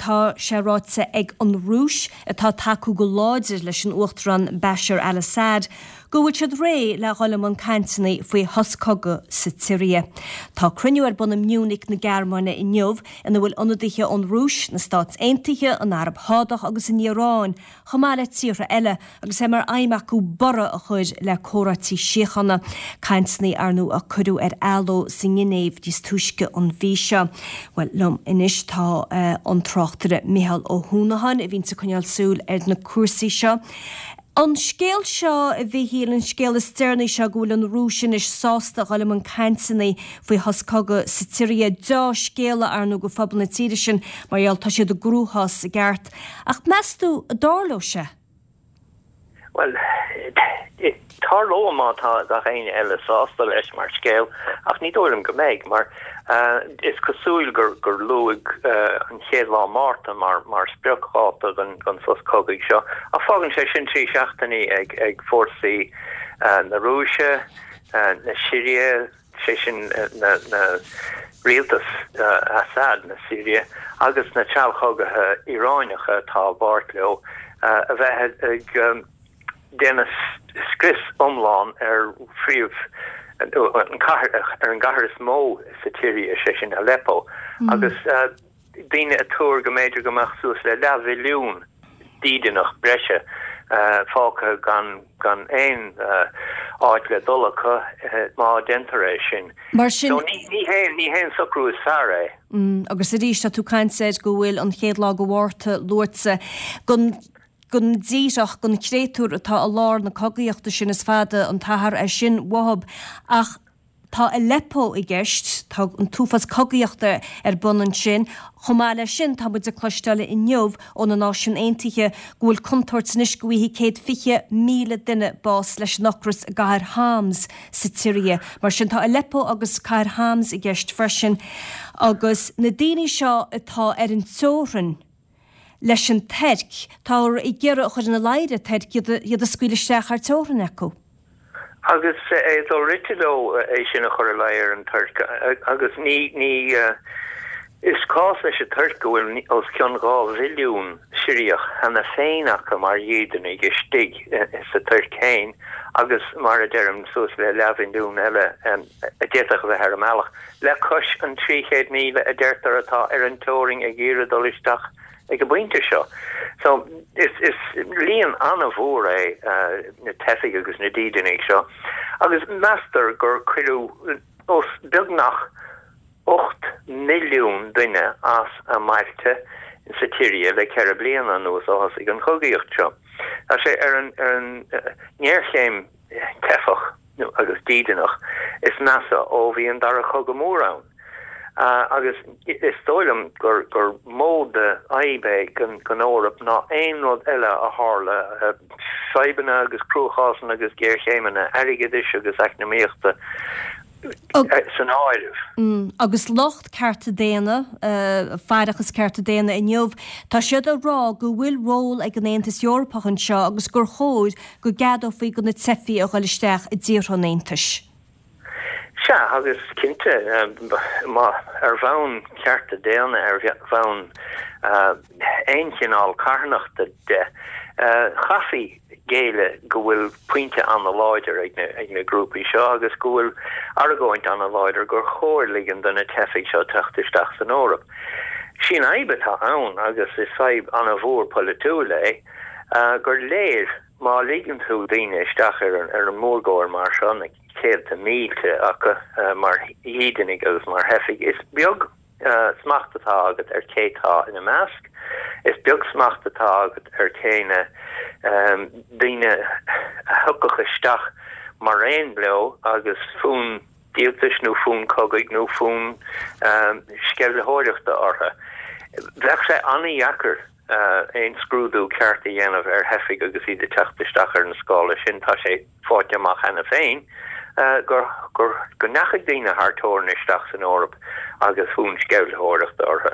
tá sé ráite ag an Rúis, atá ag tacú go láidir leis an Uachtarán Bashar al-Assad, go bhfuil siad réidh le dhul i mbun cainteanna faoi shos cogaidh sa tSiria. Tá cruinniú ar bun i Munich na Gearmáine inniu ina bhfuil ionadaithe ón Rúis, na Stáit Aontaithe, an Araib Shádach agus an Iaráin, chomh maith le tíortha eile, agus é mar aidhm acu borradh a chur le comhráití síochána, cainteanna ar ndóigh a cuireadh ar athló sa nGinéiv níos túisce an mhí seo. Bhuel, liom anois tá an tráchtaire Micheál Ó hUanacháin, a bhíonns ag coinneáil súil ar na cúrsaí seo. An scéal seo, a Mhichíl, an scéal is deireanaí seo go bhfuil an Rúis anois sásta a dhul i mbun cainteanna faoi shos cogaidh sa tSiria, deá-scéala ar ndóigh do phobal na tíre sin mar gheall tá siad i gcruachás i gceart. Ach meas tú an dtarlóidh sé? Bhuel, tarlóidh má tá gach éinne eile sásta leis mar scéal, ach ní dóigh liom go mbeidh, mar is cosúil gur gur luadh an chéad lá Márta mar mar spriocdháta don don sos cogaidh seo, ach fágann sé sin 3 seachtainí ag ag fórsaí na Rúise, na Siria, sé sin na rialtas Assad na Siria agus na treallchogaithe Iaránacha atá i bpáirt leo a bheith ag déanamh scrios iomlán ar phríomh an cathair ar an gcathair is mó sa tSiria, sé sin Aleppo, agus daoine ag tuar go mb'fhéidir go mbeadh suas le leathmhilliún dídeanach breise fágtha gan gan aon áit le dul acu má déantar é sin. Mar sin. So ní hé ní hé an socrú is fearr é. Agus arís tá tú ag caint air go bhfuil an chéad lá de Mhárta luaite don don díreach don chréatúr atá i lár na cogaíochta sin is fada an t-achar é sin uathub ach Tá Aleppo i gceist, tá an t-uafás cogaíochta ar bun ansin. Chomh maith leis sin, tá muid ag cloisteáil inniu ó na Náisiúin Aontaithe go bhfuil contúirt anois go bhfaighidh 120,000 duine bás leis an ocras i gcathair Homs sa tSiria. Mar sin, tá Aleppo agus cathair Homs i gceist freisin. Agus na daoine seo atá ar an teorainn leis an Tuirc, táthar ag iarraidh a chur ina luí ar an Tuirc iad a scaoileadh isteach thar teorainn acu. Agus é do-rite leo é sin a chur ina luí ar an Tuirc agus ní, ní, is cás leis an Tuirc go bhfuil os cionn 2 mhilliún Siriach cheana féin acu mar dhídeanaigh istigh sa Tuirc féin agus mar a deirim suas le leathmhilliún eile a d'fhéadfadh a bheith ar an mbealach, le cois an 300,000 a deirtear atá ar an teorainn ag iarraidh dul isteach ag an bpointe seo. So, is, is líon an-mhór é na teifigh agus na dídeanaigh seo, agus meastar gur cuireadh os beagnach 8 milliún duine as a mbailte sa tSiria le 4 bliana anuas ó thosaigh an chogaíocht seo. Tá sé ar an, ar an ngéarchéim teifeach agus dídeanach is measa ó bhí an Dara Cogadh Mór ann. Agus is dóigh liom gur gur mó de fhadhb é don Eoraip ná aon rud eile a tharla, fadhbanna agus cruachásanna agus géarchéimeanna airgeadais agus eacnamaíochta san áireamh. Agus lucht cearta daonna, faireachas cearta daonna inniu, tá siad ag rá go bhfuil ról ag an Aontas Eorpach anseo agus gur chóir go gceadófaí do na teifigh a dhul isteach i dtíortha an Aontais. Sea, agus cinnte, má, ar bhonn cearta daonna, ar bhonn aon chineál carthanachta de, chaithfí géilleadh go bhfuil pointe an-láidir ag na, ag na grúpaí seo agus go bhfuil argóint an-láidir gur chóir ligean do na teifigh seo teacht isteach san Eoraip. Sí an fhadhb atá ann, agus is fadhb an-mhór polaitiúil é, gur léir má ligeann tú daoine isteach ar an mórgóir mar seo, na céadta mílte acu mar dhídeanaigh agus mar theifigh, is beag smacht atá agat ar cé tá ina measc, is beag smacht atá agat ar cé na daoine a thiocfadh isteach maraon leo agus fonn díoltais nó fonn cogaidh nó fonn sceimhlitheoireachta orthu. Bheadh sé an-dheacair aon scrúdú ceart a dhéanamh ar theifigh agus iad ag teacht isteach ar an scála sin. Tá sé faighte amach cheana féin gur go ndeachaigh daoine thar teorainn isteach san Eoraip agus fonn sceimhlitheoireachta orthu.